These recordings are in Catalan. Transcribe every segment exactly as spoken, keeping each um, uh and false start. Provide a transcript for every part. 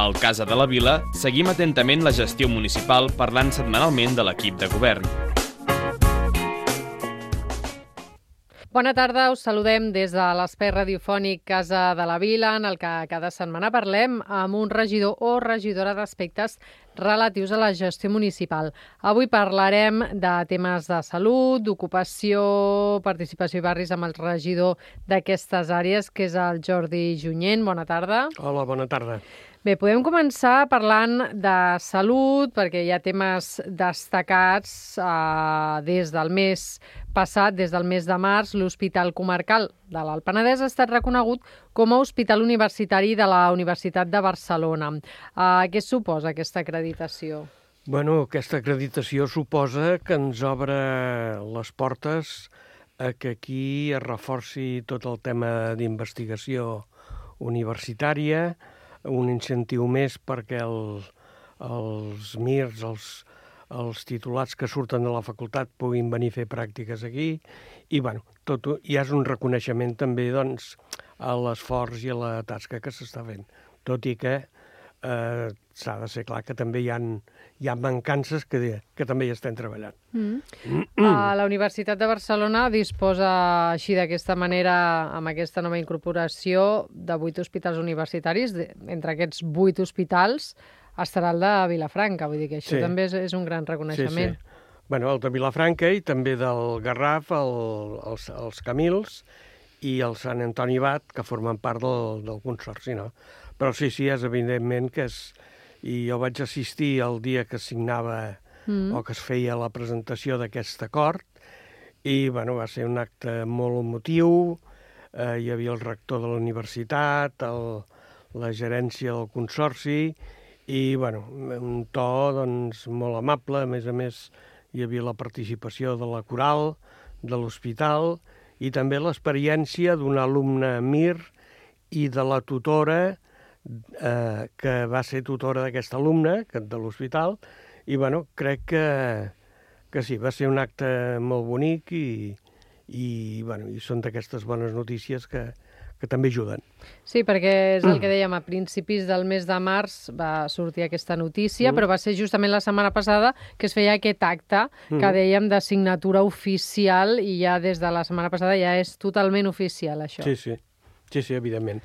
al Casa de la Vila, seguim atentament la gestió municipal parlant setmanalment de l'equip de govern. Bona tarda, us saludem des de l'espai radiofònic Casa de la Vila, en el que cada setmana parlem amb un regidor o regidora d'aspectes relatius a la gestió municipal. Avui parlarem de temes de salut, d'ocupació, participació i barris amb el regidor d'aquestes àrees, que és el Jordi Junyent. Bona tarda. Hola, bona tarda. Bé, podem començar parlant de salut, perquè hi ha temes destacats eh, des del mes passat, des del mes de març. L'Hospital Comarcal de l'Alt Penedès ha estat reconegut com a Hospital Universitari de la Universitat de Barcelona. Eh, què suposa aquesta acreditació? Bueno, aquesta acreditació suposa que ens obre les portes a que aquí es reforci tot el tema d'investigació universitària, un incentiu més perquè el, els mirs, els, els titulats que surten de la facultat puguin venir a fer pràctiques aquí i bueno, tot, ja és un reconeixement també doncs, a l'esforç i a la tasca que s'està fent, tot i que eh, s'ha de ser clar que també hi ha, hi ha mancances que, que també hi estem treballant. Mm. Mm. Uh, la Universitat de Barcelona disposa així d'aquesta manera, amb aquesta nova incorporació, de vuit hospitals universitaris. De, entre aquests vuit hospitals estarà el de Vilafranca, vull dir que això sí. també és, és un gran reconeixement. Sí, sí. Bueno, el de Vilafranca i també del Garraf, el, els, els Camils i el Sant Antoni Abat, que formen part del, del consorci, no? Però sí, sí, és evidentment que és... I jo vaig assistir el dia que signava mm. o que es feia la presentació d'aquest acord i bueno, va ser un acte molt emotiu, eh, hi havia el rector de la universitat, el, la gerència del consorci i bueno, un to doncs, molt amable, a més a més hi havia la participació de la coral, de l'hospital i també l'experiència d'un alumne Mir i de la tutora Eh, que va ser tutora d'aquest alumne, de l'hospital, i bueno, crec que, que sí, va ser un acte molt bonic i, i, bueno, i són d'aquestes bones notícies que, que també ajuden. Sí, perquè és el que dèiem, a principis del mes de març va sortir aquesta notícia, mm. però va ser justament la setmana passada que es feia aquest acte mm. que dèiem de signatura oficial i ja des de la setmana passada ja és totalment oficial, això. Sí, sí. Sí, sí, evidentment.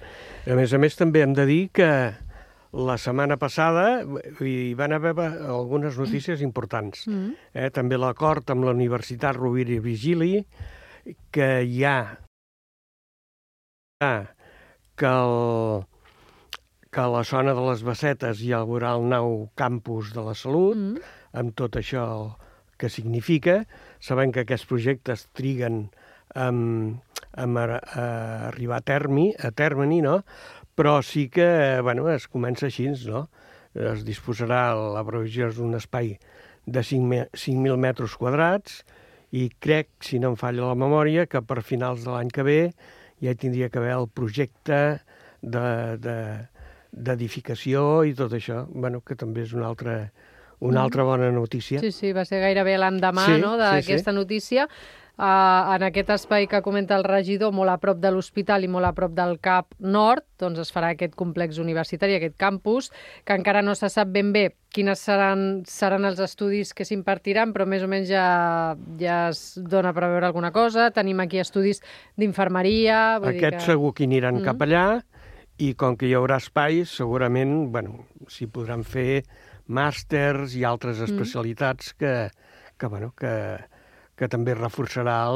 A més a més, també hem de dir que la setmana passada hi van haver algunes notícies importants. Mm. Eh, també l'acord amb la Universitat Rovira i Virgili, que hi ha que, el, que a la zona de les Bassetes hi haurà el nou campus de la salut, mm. amb tot això que significa. Sabem que aquests projectes triguen amb, amb a, a arribar a termi, a termini, no? Però sí que, bueno, es comença així, no? Es disposarà la provisió d'un espai de cinc mil metres quadrats i crec, si no em falla la memòria, que per finals de l'any que ve ja tindria que haver el projecte de, de, d'edificació i tot això, bueno, que també és una altra, una altra bona notícia. Sí, sí, va ser gairebé l'endemà sí, no, d'aquesta sí, sí. notícia. Uh, en aquest espai que comenta el regidor, molt a prop de l'hospital i molt a prop del C A P Nord, doncs es farà aquest complex universitari, aquest campus, que encara no se sap ben bé quines seran, seran els estudis que s'impartiran, però més o menys ja, ja es dona a preveure alguna cosa. Tenim aquí estudis d'infermeria... Aquests que... segur que aniran mm. cap allà, i com que hi haurà espais, segurament, bueno, s'hi podran fer màsters i altres especialitats mm. que, que, bueno, que... que també reforçarà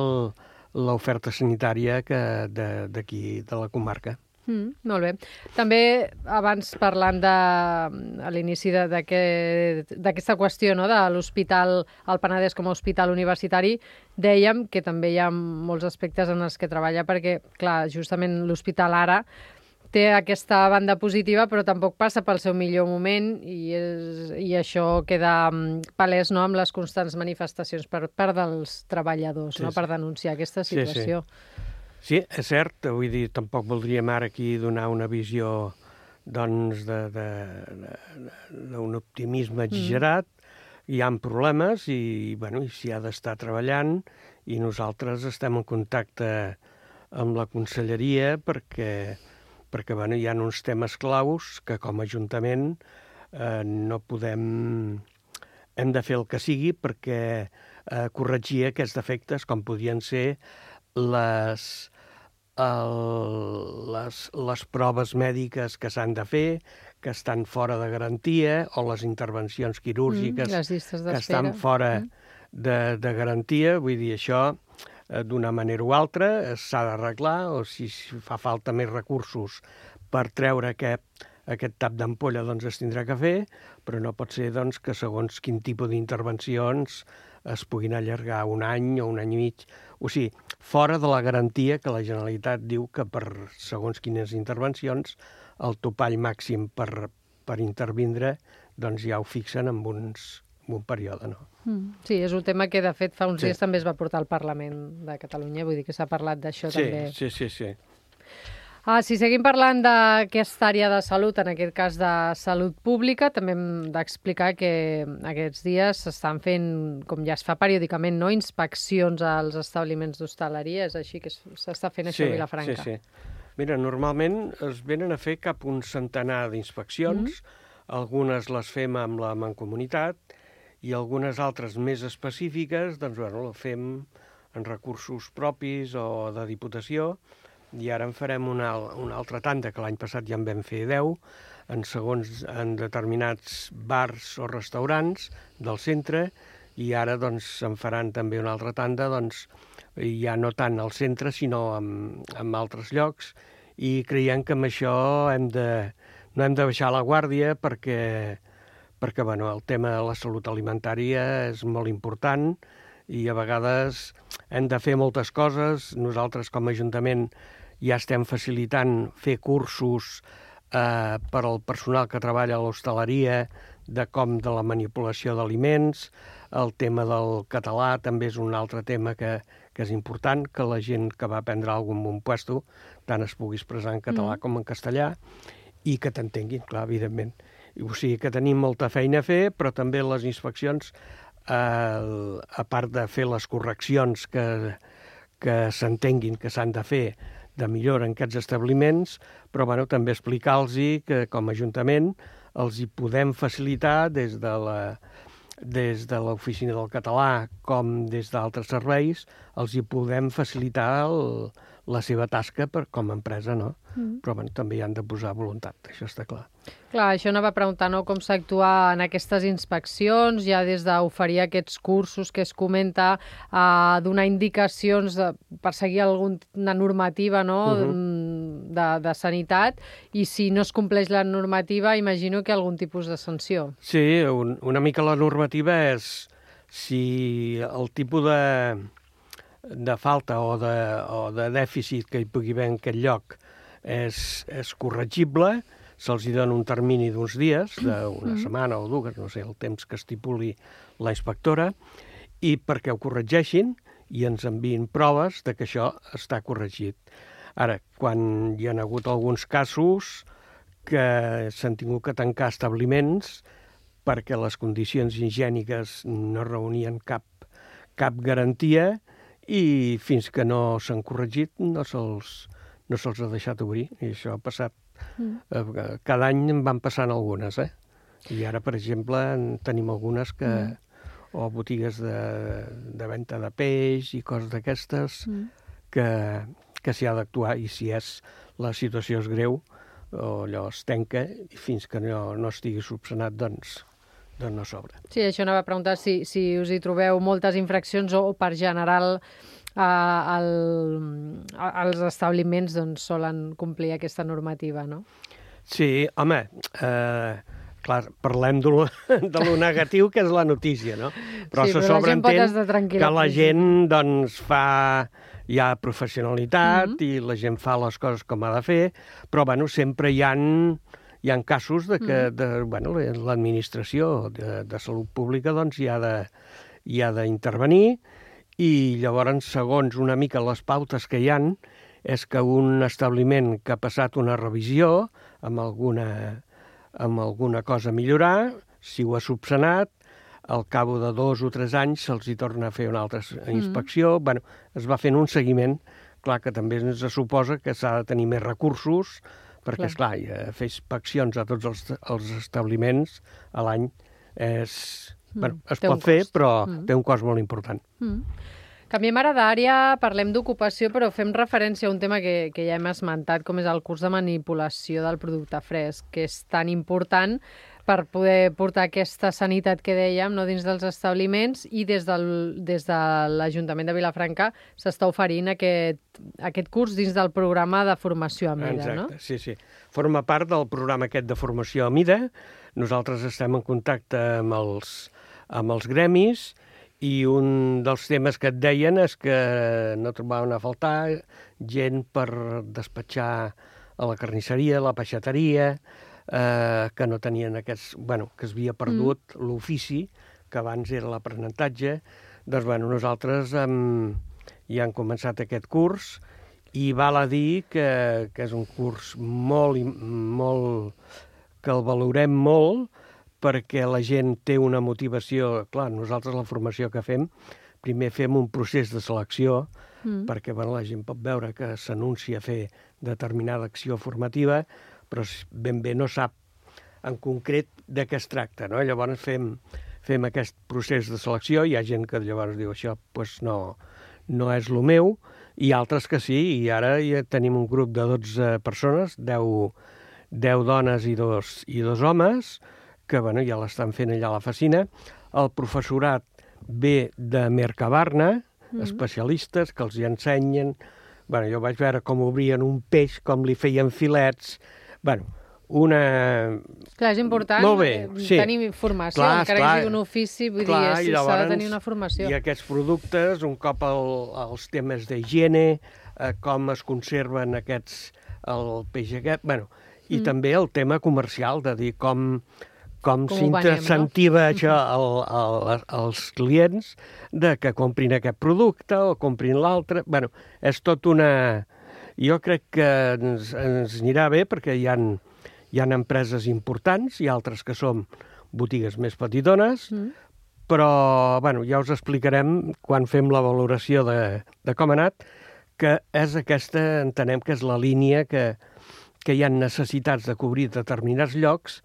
l'oferta sanitària d'aquí, de, de la comarca. Mm, molt bé. També, abans parlant de, a l'inici d'aquesta qüestió, no, de l'Hospital al Penedès com a hospital universitari, dèiem que també hi ha molts aspectes en els que treballa, perquè, clar, justament l'hospital ara té aquesta banda positiva, però tampoc passa pel seu millor moment i, és, i això queda palès, no, amb les constants manifestacions per part dels treballadors, sí, no, per denunciar aquesta situació. Sí, sí. sí, és cert, vull dir, tampoc voldríem ara aquí donar una visió doncs d'un optimisme exagerat. Mm. Hi ha problemes i, bueno, i s'hi ha d'estar treballant i nosaltres estem en contacte amb la conselleria perquè perquè bueno, hi ha uns temes claus que com a Ajuntament eh, no podem... Hem de fer el que sigui perquè eh, corregir aquests defectes, com podien ser les, el, les, les proves mèdiques que s'han de fer, que estan fora de garantia, o les intervencions quirúrgiques mm, que estan fora mm. de, de garantia. Vull dir, això eh, d'una manera o altra s'ha d'arreglar, o si, si fa falta més recursos per treure aquest, aquest tap d'ampolla, doncs es tindrà que fer, però no pot ser doncs, que segons quin tipus d'intervencions es puguin allargar un any o un any i mig. O sigui, fora de la garantia que la Generalitat diu que per segons quines intervencions el topall màxim per, per intervindre doncs ja ho fixen en, uns, en un període. No? Mm. Sí, és un tema que de fet fa uns sí. dies també es va portar al Parlament de Catalunya, vull dir que s'ha parlat d'això sí, també. Sí, sí, sí. Ah, si seguim parlant d'aquesta àrea de salut, en aquest cas de salut pública, també hem d'explicar que aquests dies s'estan fent, com ja es fa periòdicament, no, inspeccions als establiments d'hostaleria, és així que s'està fent això sí, a Vilafranca. Sí, sí. Mira, normalment es venen a fer cap un centenar d'inspeccions, mm-hmm. algunes les fem amb la Mancomunitat i algunes altres més específiques, doncs, bueno, les fem en recursos propis o de Diputació, i ara en farem una, una altra tanda, que l'any passat ja en vam fer deu, en segons en determinats bars o restaurants del centre, i ara doncs en faran també una altra tanda, doncs ja no tant al centre, sinó en, en altres llocs, i creiem que amb això hem de, no hem de baixar la guàrdia perquè, perquè bueno, el tema de la salut alimentària és molt important, i a vegades hem de fer moltes coses. Nosaltres com a Ajuntament ja estem facilitant fer cursos eh, per al personal que treballa a l'hostaleria de com de la manipulació d'aliments. El tema del català també és un altre tema que, que és important, que la gent que va aprendre alguna cosa en un puesto tant es pugui expressar en català mm. com en castellà i que t'entenguin, clar, evidentment. O sigui que tenim molta feina a fer, però també les inspeccions, eh, a part de fer les correccions que, que s'entenguin que s'han de fer de millora en aquests establiments, però bueno, també explicar-los que com a Ajuntament els hi podem facilitar des de la des de l'Oficina del Català com des d'altres serveis, els hi podem facilitar el, la seva tasca per, com a empresa, no? Mm. Però bueno, també hi han de posar voluntat, això està clar. Clar, això anava a preguntar, no?, com s'actua en aquestes inspeccions, ja des d'oferir aquests cursos que es comenta, a donar indicacions de, per seguir alguna normativa, no?, uh-huh. de, de sanitat, i si no es compleix la normativa, imagino que algun tipus de sanció. Sí, un, una mica la normativa és si el tipus de, de falta o de, o de dèficit que hi pugui haver en aquest lloc és, és corregible, se'ls hi dona un termini d'uns dies, d'una mm-hmm. setmana o dues, no sé, el temps que estipuli la inspectora, i perquè ho corregeixin i ens enviïn proves de que això està corregit. Ara, quan hi ha hagut alguns casos que s'han tingut que tancar establiments perquè les condicions higièniques no reunien cap, cap garantia i fins que no s'han corregit no se'ls no se'ls ha deixat obrir. I això ha passat. Mm. Cada any en van passant algunes, eh? I ara, per exemple, en tenim algunes que... Mm. o botigues de, de venda de peix i coses d'aquestes mm. que, que s'hi ha d'actuar, i si és la situació és greu o allò es tanca i fins que no, no estigui subsanat, doncs, doncs no s'obre. Sí, això anava a preguntar si, si us hi trobeu moltes infraccions o, per general eh, el, els establiments doncs, solen complir aquesta normativa, no? Sí, home, eh, clar, parlem de lo, de lo negatiu, que és la notícia, no? Però sí, se però sobreentén que la gent doncs, fa ja professionalitat mm-hmm. i la gent fa les coses com ha de fer, però bueno, sempre hi ha, hi ha casos de que mm. de, bueno, l'administració de, de salut pública doncs, hi ha de, hi ha d'intervenir, i llavors, segons una mica les pautes que hi han, és que un establiment que ha passat una revisió amb alguna, amb alguna cosa a millorar, si ho ha subsanat, al cabo de dos o tres anys se'ls hi torna a fer una altra inspecció. Mm. Bueno, es va fent un seguiment. Clar que també ens suposa que s'ha de tenir més recursos perquè, esclar, fer inspeccions a tots els, els establiments a l'any és... Mm. Bueno, es pot fer, però mm. té un cost molt important. Mm. Canviem ara d'àrea, parlem d'ocupació, però fem referència a un tema que, que ja hem esmentat, com és el curs de manipulació del producte fresc, que és tan important per poder portar aquesta sanitat que dèiem, no, dins dels establiments, i des, del, des de l'Ajuntament de Vilafranca s'està oferint aquest, aquest curs dins del programa de formació a mida. Exacte, no? Sí, sí. Forma part del programa aquest de formació a mida. Nosaltres estem en contacte amb els, amb els gremis, i un dels temes que et deien és que no trobaven a faltar gent per despatxar a la carnisseria, a la peixateria, eh, que no tenien aquests... Bueno, que es havia perdut mm. l'ofici, que abans era l'aprenentatge. Doncs, bueno, nosaltres hem, ja hem començat aquest curs i val a dir que, que és un curs molt, molt... que el valorem molt, perquè la gent té una motivació... Clar, nosaltres la formació que fem, primer fem un procés de selecció, mm. perquè bueno, la gent pot veure que s'anuncia a fer determinada acció formativa, però ben bé no sap en concret de què es tracta, no? Llavors fem, fem aquest procés de selecció, hi ha gent que llavors diu això pues no, no és el meu, i altres que sí, i ara ja tenim un grup de dotze persones, deu, deu dones i dos, i dos homes, que bueno, ja l'estan fent allà a la Facina. El professorat ve de Mercabarna, mm. especialistes que els hi ensenyen. Bueno, jo vaig veure com obrien un peix, com li feien filets. Bueno, una... Clar, és important Molt bé, sí. tenir formació, clar, encara clar, que sigui un ofici, vull clar, dir, s'ha de tenir una formació. I aquests productes, un cop el, els temes d'higiene, eh, com es conserven aquests, el peix aquest, bueno, i mm. també el tema comercial, de dir com... com, com s'incentiva no? això al, al, als clients de que comprin aquest producte o comprin l'altre. Bueno, és tot una... Jo crec que ens, ens anirà bé perquè hi ha, hi ha empreses importants i altres que som botigues més petitones, mm. però bueno, ja us explicarem quan fem la valoració de, de com ha anat, que és aquesta, entenem que és la línia que, que hi ha necessitats de cobrir determinats llocs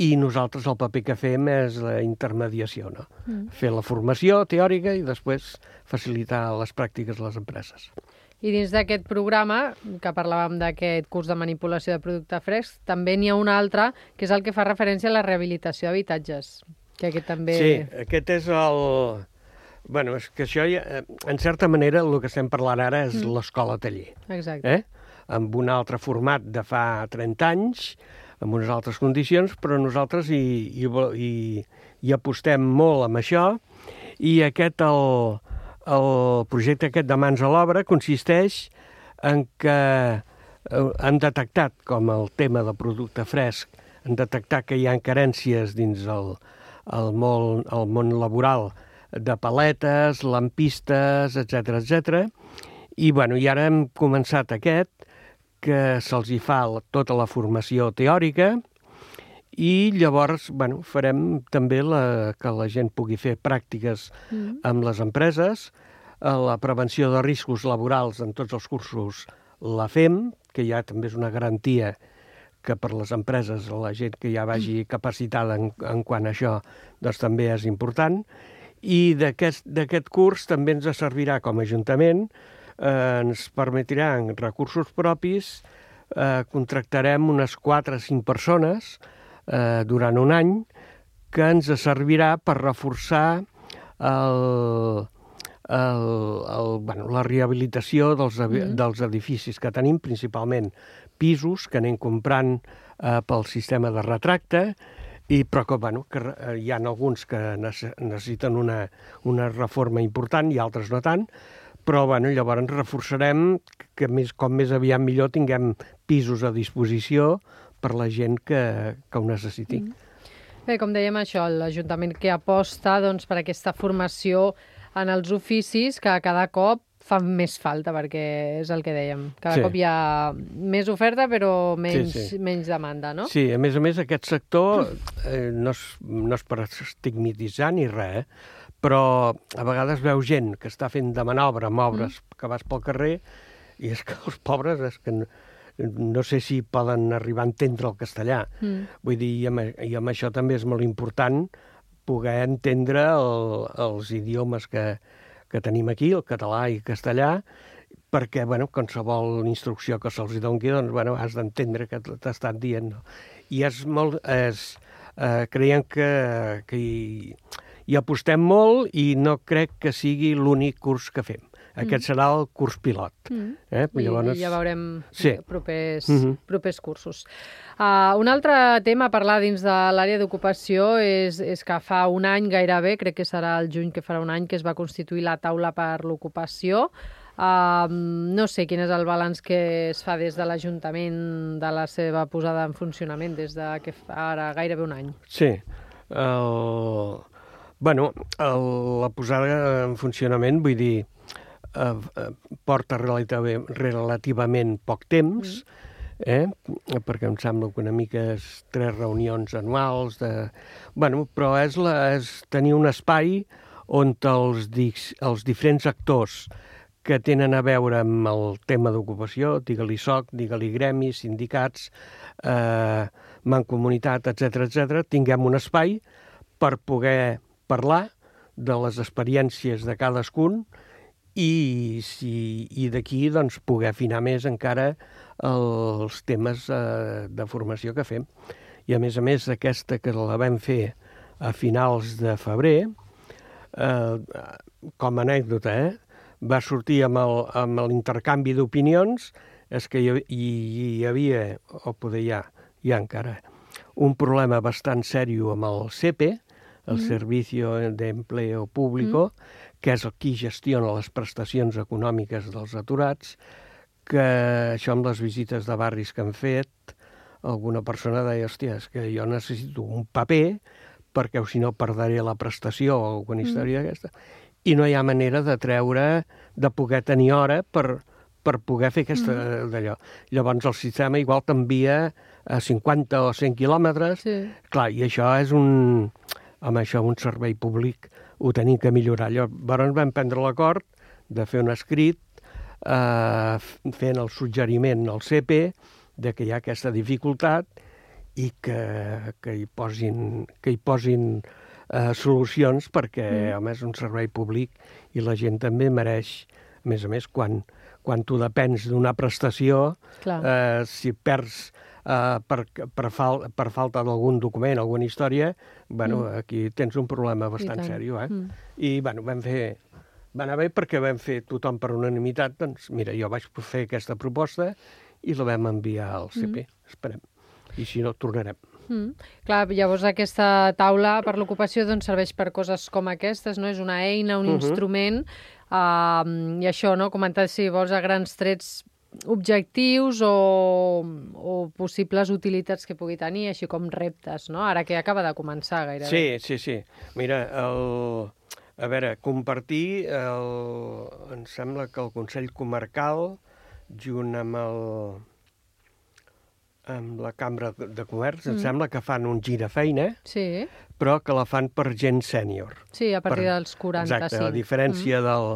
i nosaltres el paper que fem és la intermediació, no? Mm. Fer la formació teòrica i després facilitar les pràctiques a les empreses. I dins d'aquest programa, que parlàvem d'aquest curs de manipulació de producte fresc, també n'hi ha un altre, que és el que fa referència a la rehabilitació d'habitatges. Que aquest també... Sí, aquest és el... Bueno, és que això, ja, en certa manera, el que estem parlant ara és mm. l'escola-taller. Exacte. Eh? Amb un altre format de fa trenta anys, amb unes altres condicions, però nosaltres hi, hi, hi, hi apostem molt amb això, i aquest, el, el projecte aquest de Mans a l'Obra consisteix en que hem detectat, com el tema del producte fresc, hem detectat que hi ha carències dins el, el, món, el món laboral de paletes, lampistes, etcètera, etcètera. I, bueno, i ara hem començat aquest, que se'ls hi fa tota la formació teòrica i llavors bueno, farem també la, que la gent pugui fer pràctiques mm. amb les empreses. La prevenció de riscos laborals en tots els cursos la fem, que ja també és una garantia que per les empreses, la gent que ja vagi capacitada en, en quant a això, doncs també és important. I d'aquest d'aquest curs també ens servirà com a Ajuntament. Eh, ens permetrà en recursos propis, eh, contractarem unes quatre o cinc persones eh, durant un any que ens servirà per reforçar el, el, el, bueno, la rehabilitació dels, mm. dels edificis que tenim, principalment pisos que anem comprant eh, pel sistema de retracte, i, però que, bueno, que hi ha alguns que necessiten una, una reforma important i altres no tant, però bueno, llavors reforçarem que més, com més aviat millor tinguem pisos a disposició per la gent que, que ho necessiti. Mm. Bé, com dèiem això, l'Ajuntament que aposta doncs, per aquesta formació en els oficis que cada cop fa més falta, perquè és el que dèiem. Cada sí. cop hi ha més oferta però menys, sí, sí. menys demanda, no? Sí, a més a més aquest sector eh, no, és, no és per estigmatitzar ni res, eh? Però a vegades veu gent que està fent de manobra amb obres mm. que vas pel carrer i és que els pobres és que no sé si poden arribar a entendre el castellà. Mm. Vull dir, i amb, i amb això també és molt important poder entendre el, els idiomes que, que tenim aquí, el català i el castellà, perquè, bueno, qualsevol instrucció que se'ls doni, doncs, bueno, has d'entendre què t'ha estat dient. No? I és molt... És, eh, creiem que, que hi, hi apostem molt i no crec que sigui l'únic curs que fem. Aquest mm. serà el curs pilot. Mm. Eh? I, Llavors... I ja veurem sí. propers, mm-hmm. propers cursos. Uh, un altre tema a parlar dins de l'àrea d'ocupació és, és que fa un any gairebé, crec que serà el juny que farà un any, que es va constituir la taula per l'ocupació. Uh, no sé quin és el balanç que es fa des de l'Ajuntament de la seva posada en funcionament, des de que fa ara gairebé un any. Sí. El... Bueno, el, la posada en funcionament, vull dir, eh, porta relativament poc temps, eh? perquè em sembla que una mica és tres reunions anuals, de... bueno, però és, la, és tenir un espai on els, els diferents actors que tenen a veure amb el tema d'ocupació, digue-li S O C, digue-li gremis, sindicats, eh, mancomunitat, etcètera, etcètera, tinguem un espai per poder parlar de les experiències de cadascun i, si, i d'aquí doncs, poder afinar més encara els temes eh, de formació que fem. I a més a més aquesta que la vam fer a finals de febrer, eh, com a anècdota, eh, va sortir amb el, amb l'intercanvi d'opinions, és que hi, hi havia, o poder hi ha, hi ha encara, un problema bastant sèrio amb el C E P E, el mm. Servicio de Empleo Público, mm. que és el qui gestiona les prestacions econòmiques dels aturats, que això amb les visites de barris que han fet, alguna persona deia, hòstia, és que jo necessito un paper perquè si no perdré la prestació o alguna història mm. d'aquesta, i no hi ha manera de treure, de poder tenir hora per, per poder fer aquesta mm. d'allò. Llavors el sistema igual t'envia a cinquanta o cent quilòmetres, sí. Clar, i això és un... amb això un servei públic ho tenim que millorar. Llavors vam prendre l'acord de fer un escrit eh, fent el suggeriment al C E P E de que hi ha aquesta dificultat i que, que hi posin, que hi posin eh, solucions perquè, mm. home, és un servei públic i la gent també mereix, a més a més, quan, quan tu depens d'una prestació, eh, si perds Uh, per, per, fal, per falta d'algun document, alguna història, bueno, mm. aquí tens un problema bastant seriós, eh? Mm. I, bueno, vam fer... Va anar bé perquè vam fer tothom per unanimitat, doncs, mira, jo vaig fer aquesta proposta i la vam enviar al C P. Mm. Esperem. I si no, tornarem. Mm. Clar, llavors aquesta taula per l'ocupació doncs, serveix per coses com aquestes, no? És una eina, un uh-huh. instrument, uh, i això, no? Comentar, si vols, a grans trets objectius o, o possibles utilitats que pugui tenir, així com reptes, no? Ara que acaba de començar gairebé. Sí, sí, sí. Mira, el... a veure, compartir, el... em sembla que el Consell Comarcal, junt amb el... amb la Cambra de Comerç, mm. em sembla que fan un girafeina, sí. però que la fan per gent sènior. Sí, a partir per... dels quaranta-cinc. Exacte, a diferència mm. del...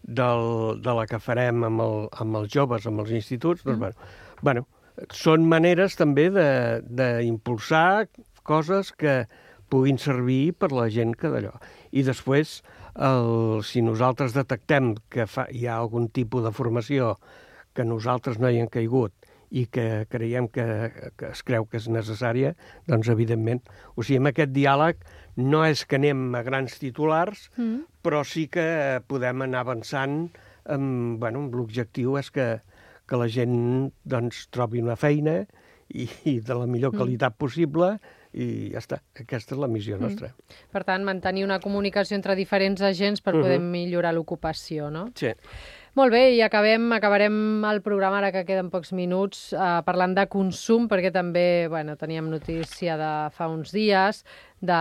Del, de la que farem amb, el, amb els joves, amb els instituts, doncs, mm. bueno, bueno, són maneres també d'impulsar coses que puguin servir per la gent que d'allò. I després, el, si nosaltres detectem que fa, hi ha algun tipus de formació que nosaltres no hi hem caigut i que creiem que, que es creu que és necessària, doncs evidentment. O sigui, amb aquest diàleg no és que anem a grans titulars, mm. però sí que podem anar avançant amb, bueno, amb l'objectiu és que, que la gent doncs, trobi una feina i, i de la millor qualitat mm. possible i ja està. Aquesta és la missió nostra. Mm. Per tant, mantenir una comunicació entre diferents agents per poder uh-huh. millorar l'ocupació, no? Sí. Molt bé, i acabem, acabarem el programa, ara que queden pocs minuts, eh, parlant de consum, perquè també bueno, teníem notícia de fa uns dies, de,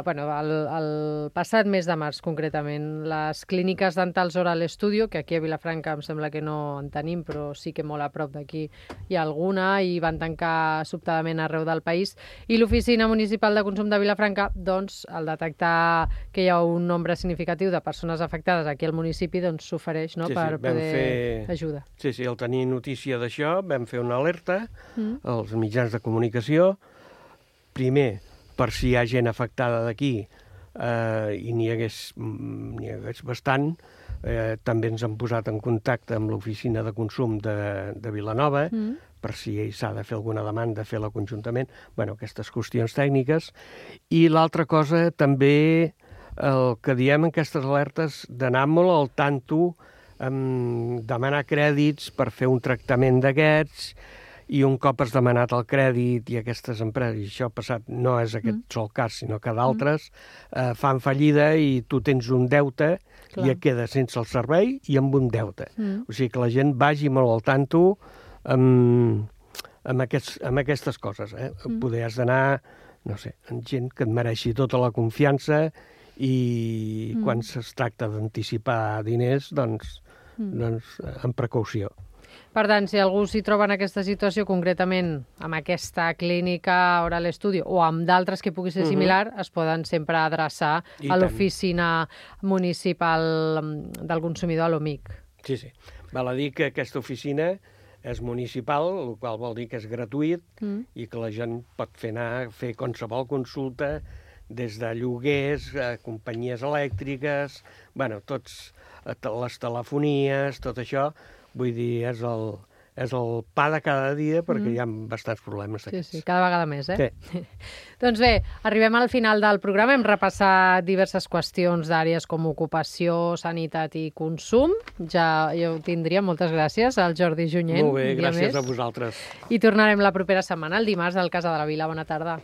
bueno, el, el passat mes de març, concretament, les clíniques dentals Oral Studio, que aquí a Vilafranca em sembla que no en tenim, però sí que molt a prop d'aquí hi ha alguna, i van tancar sobtadament arreu del país. I l'Oficina Municipal de Consum de Vilafranca, doncs, al detectar que hi ha un nombre significatiu de persones afectades aquí al municipi, doncs s'ofereix, no?, sí, per, per vam poder fer... ajudar. Sí, sí, al tenir notícia d'això vam fer una alerta Mm. als mitjans de comunicació, primer per si hi ha gent afectada d'aquí eh, i n'hi hagués, mm, n'hi hagués bastant, eh, també ens han posat en contacte amb l'oficina de consum de, de Vilanova, Mm. per si s'ha de fer alguna demanda, fer-la conjuntament, bueno, aquestes qüestions tècniques. I l'altra cosa, també, el que diem en aquestes alertes, d'anar molt al tanto, amb demanar crèdits per fer un tractament d'aquests, i un cop has demanat el crèdit i aquestes empreses, i això ha passat, no és aquest mm. sol cas, sinó que d'altres, mm. eh, fan fallida i tu tens un deute Clar. I et queda sense el servei i amb un deute. Mm. O sigui que la gent vagi molt al tanto amb, amb, aquests, amb aquestes coses. Eh? Mm. Poder has d'anar, no sé, amb gent que et mereixi tota la confiança i mm. quan es tracta d'anticipar diners, doncs, mm. doncs amb precaució. Per tant, si algú s'hi troba en aquesta situació, concretament amb aquesta clínica Oral Studio o amb d'altres que pugui ser similar, uh-huh. es poden sempre adreçar I a l'oficina municipal del consumidor, a l'O M I C. Sí, sí. Val a dir que aquesta oficina és municipal, el qual vol dir que és gratuït mm. i que la gent pot fer anar, fer qualsevol consulta des de lloguers, a companyies elèctriques, bueno, tots, les telefonies, tot això. Vull dir, és el, és el pa de cada dia perquè mm. hi ha bastants problemes d'aquests. Sí, sí, cada vegada més, eh? Sí. Doncs bé, arribem al final del programa. Hem repassat diverses qüestions d'àrees com ocupació, sanitat i consum. Ja, ja ho tindríem. Moltes gràcies al Jordi Junyent. Molt bé, gràcies a vosaltres. I tornarem la propera setmana, el dimarts, al Casa de la Vila. Bona tarda.